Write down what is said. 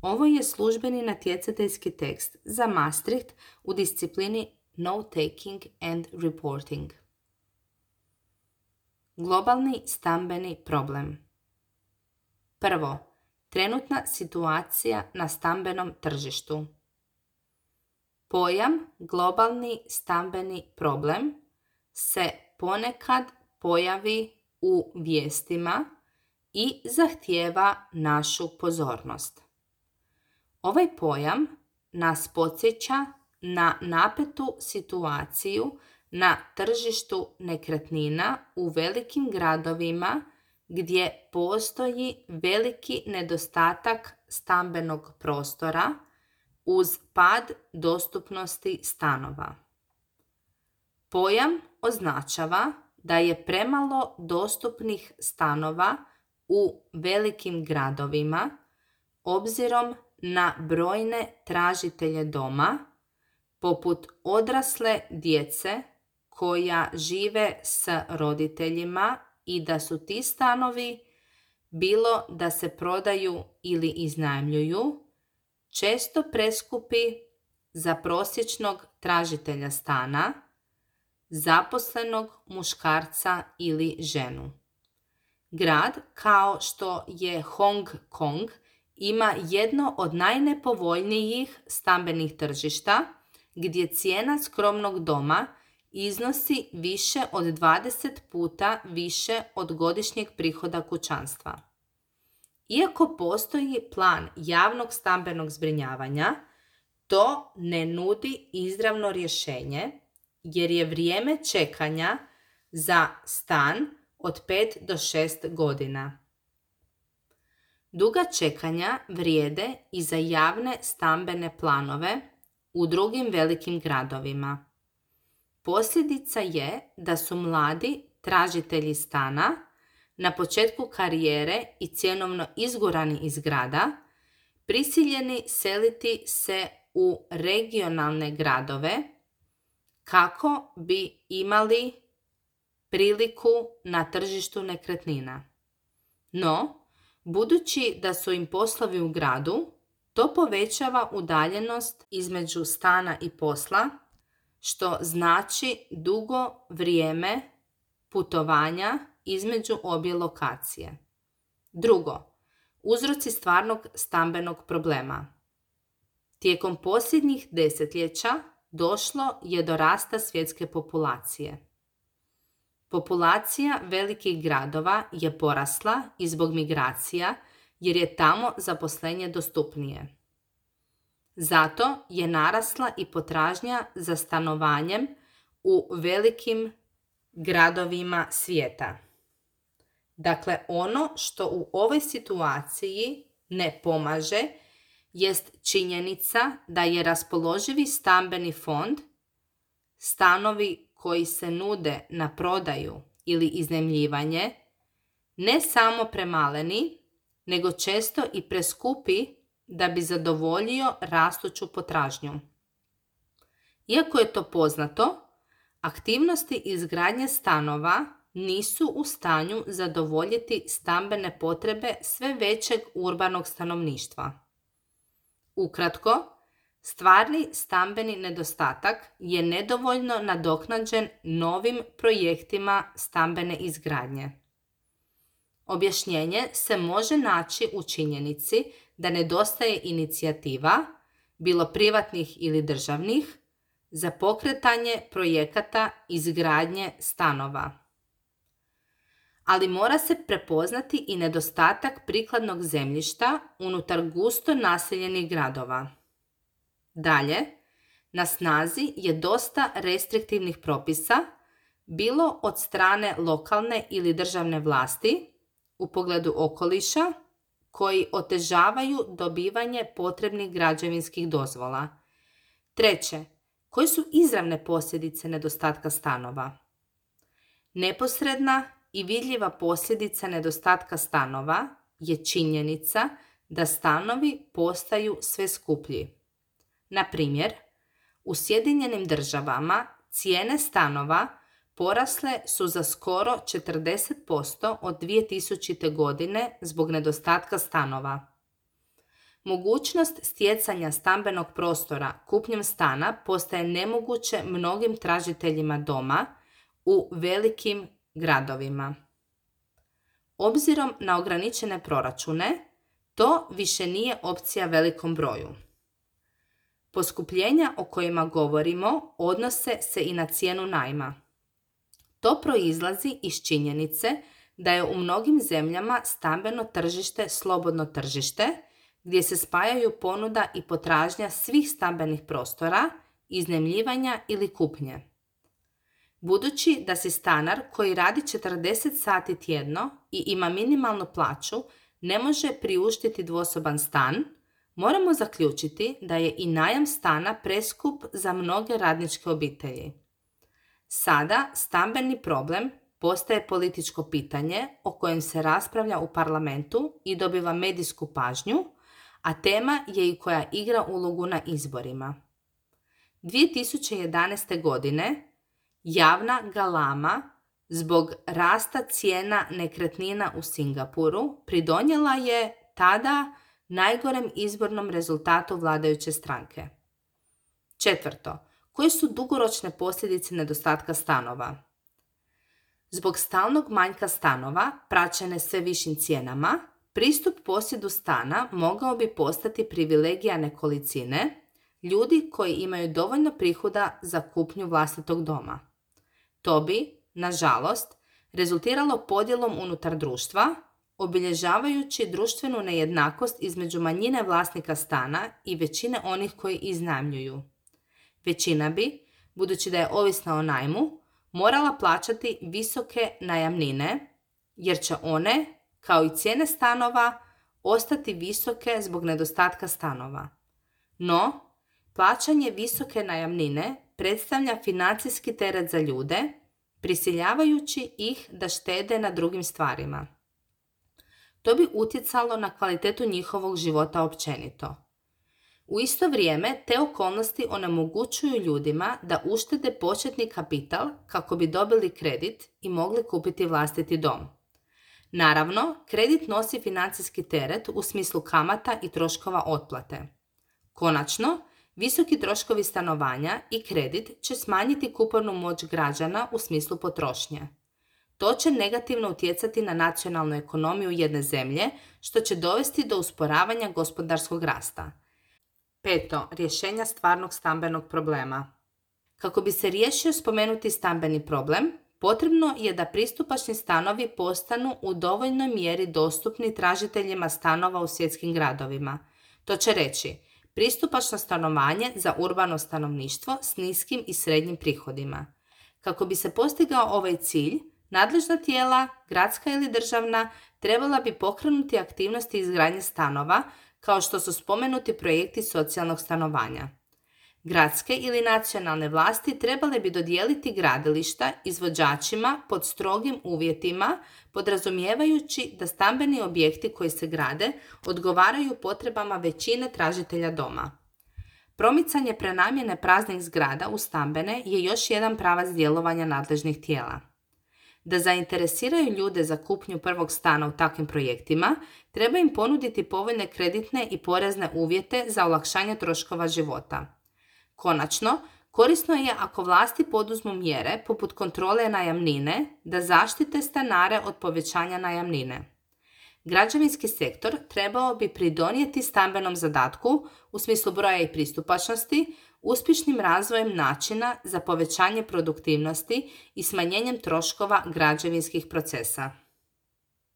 Ovo je službeni natjecateljski tekst za Maastricht u disciplini Note-taking and Reporting. Globalni stambeni problem. Prvo, trenutna situacija na stambenom tržištu. Pojam globalni stambeni problem se ponekad pojavi u vijestima i zahtijeva našu pozornost. Ovaj pojam nas podsjeća na napetu situaciju na tržištu nekretnina u velikim gradovima gdje postoji veliki nedostatak stambenog prostora uz pad dostupnosti stanova. Pojam označava da je premalo dostupnih stanova u velikim gradovima obzirom na brojne tražitelje doma, poput odrasle djece koja žive s roditeljima i da su ti stanovi, bilo da se prodaju ili iznajmljuju, često preskupi za prosječnog tražitelja stana, zaposlenog muškarca ili ženu. Grad kao što je Hong Kong ima jedno od najnepovoljnijih stambenih tržišta gdje cijena skromnog doma iznosi više od 20 puta više od godišnjeg prihoda kućanstva. Iako postoji plan javnog stambenog zbrinjavanja, to ne nudi izravno rješenje jer je vrijeme čekanja za stan od 5 do 6 godina. Duga čekanja vrijede i za javne stambene planove u drugim velikim gradovima. Posljedica je da su mladi tražitelji stana na početku karijere i cjenovno izgurani iz grada prisiljeni seliti se u regionalne gradove kako bi imali priliku na tržištu nekretnina. No, budući da su im poslovi u gradu, to povećava udaljenost između stana i posla, što znači dugo vrijeme putovanja između obje lokacije. Drugo, uzroci stvarnog stambenog problema. Tijekom posljednjih desetljeća došlo je do rasta svjetske populacije. Populacija velikih gradova je porasla i zbog migracija jer je tamo zaposlenje dostupnije. Zato je narasla i potražnja za stanovanjem u velikim gradovima svijeta. Dakle, ono što u ovoj situaciji ne pomaže jest činjenica da je raspoloživi stambeni fond, stanovi koji se nude na prodaju ili iznajmljivanje, ne samo premaleni, nego često i preskupi da bi zadovoljio rastuću potražnju. Iako je to poznato, aktivnosti izgradnje stanova nisu u stanju zadovoljiti stambene potrebe sve većeg urbanog stanovništva. Ukratko, stvarni stambeni nedostatak je nedovoljno nadoknađen novim projektima stambene izgradnje. Objašnjenje se može naći u činjenici da nedostaje inicijativa, bilo privatnih ili državnih, za pokretanje projekata izgradnje stanova. Ali mora se prepoznati i nedostatak prikladnog zemljišta unutar gusto naseljenih gradova. Dalje, na snazi je dosta restriktivnih propisa, bilo od strane lokalne ili državne vlasti, u pogledu okoliša, koji otežavaju dobivanje potrebnih građevinskih dozvola. Treće, koje su izravne posljedice nedostatka stanova? Neposredna i vidljiva posljedica nedostatka stanova je činjenica da stanovi postaju sve skuplji. Na primjer, u Sjedinjenim Državama cijene stanova porasle su za skoro 40% od 2000. godine zbog nedostatka stanova. Mogućnost stjecanja stambenog prostora kupnjom stana postaje nemoguće mnogim tražiteljima doma u velikim gradovima. Obzirom na ograničene proračune, to više nije opcija velikom broju. Poskupljenja o kojima govorimo odnose se i na cijenu najma. To proizlazi iz činjenice da je u mnogim zemljama stambeno tržište slobodno tržište, gdje se spajaju ponuda i potražnja svih stambenih prostora, iznajmljivanja ili kupnje. Budući da si stanar koji radi 40 sati tjedno i ima minimalnu plaću ne može priuštiti dvosoban stan, moramo zaključiti da je i najam stana preskup za mnoge radničke obitelji. Sada stambeni problem postaje političko pitanje o kojem se raspravlja u parlamentu i dobiva medijsku pažnju, a tema je i koja igra ulogu na izborima. 2011. godine javna galama zbog rasta cijena nekretnina u Singapuru pridonijela je tada najgorem izbornom rezultatu vladajuće stranke. Četvrto, koje su dugoročne posljedice nedostatka stanova? Zbog stalnog manjka stanova, praćene sve višim cijenama, pristup posjedu stana mogao bi postati privilegija nekolicine, ljudi koji imaju dovoljno prihoda za kupnju vlastitog doma. To bi, nažalost, rezultiralo podjelom unutar društva, obilježavajući društvenu nejednakost između manjine vlasnika stana i većine onih koji iznajmljuju. Većina bi, budući da je ovisna o najmu, morala plaćati visoke najamnine, jer će one, kao i cijene stanova, ostati visoke zbog nedostatka stanova. No, plaćanje visoke najamnine predstavlja financijski teret za ljude, prisiljavajući ih da štede na drugim stvarima. To bi utjecalo na kvalitetu njihovog života općenito. U isto vrijeme, te okolnosti onemogućuju ljudima da uštede početni kapital kako bi dobili kredit i mogli kupiti vlastiti dom. Naravno, kredit nosi financijski teret u smislu kamata i troškova otplate. Konačno, visoki troškovi stanovanja i kredit će smanjiti kupovnu moć građana u smislu potrošnje. To će negativno utjecati na nacionalnu ekonomiju jedne zemlje, što će dovesti do usporavanja gospodarskog rasta. Peto, rješenja stvarnog stambenog problema. Kako bi se riješio spomenuti stambeni problem, potrebno je da pristupačni stanovi postanu u dovoljnoj mjeri dostupni tražiteljima stanova u svjetskim gradovima. To će reći pristupačno stanovanje za urbano stanovništvo s niskim i srednjim prihodima. Kako bi se postigao ovaj cilj, nadležna tijela, gradska ili državna, trebala bi pokrenuti aktivnosti izgradnje stanova, kao što su spomenuti projekti socijalnog stanovanja. Gradske ili nacionalne vlasti trebale bi dodijeliti gradilišta izvođačima pod strogim uvjetima, podrazumijevajući da stambeni objekti koji se grade odgovaraju potrebama većine tražitelja doma. Promicanje prenamjene praznih zgrada u stambene je još jedan pravac djelovanja nadležnih tijela. Da zainteresiraju ljude za kupnju prvog stana u takvim projektima, treba im ponuditi povoljne kreditne i porezne uvjete za olakšanje troškova života. Konačno, korisno je ako vlasti poduzmu mjere poput kontrole najamnine da zaštite stanare od povećanja najamnine. Građevinski sektor trebao bi pridonijeti stambenom zadatku u smislu broja i pristupačnosti, uspješnim razvojem načina za povećanje produktivnosti i smanjenjem troškova građevinskih procesa.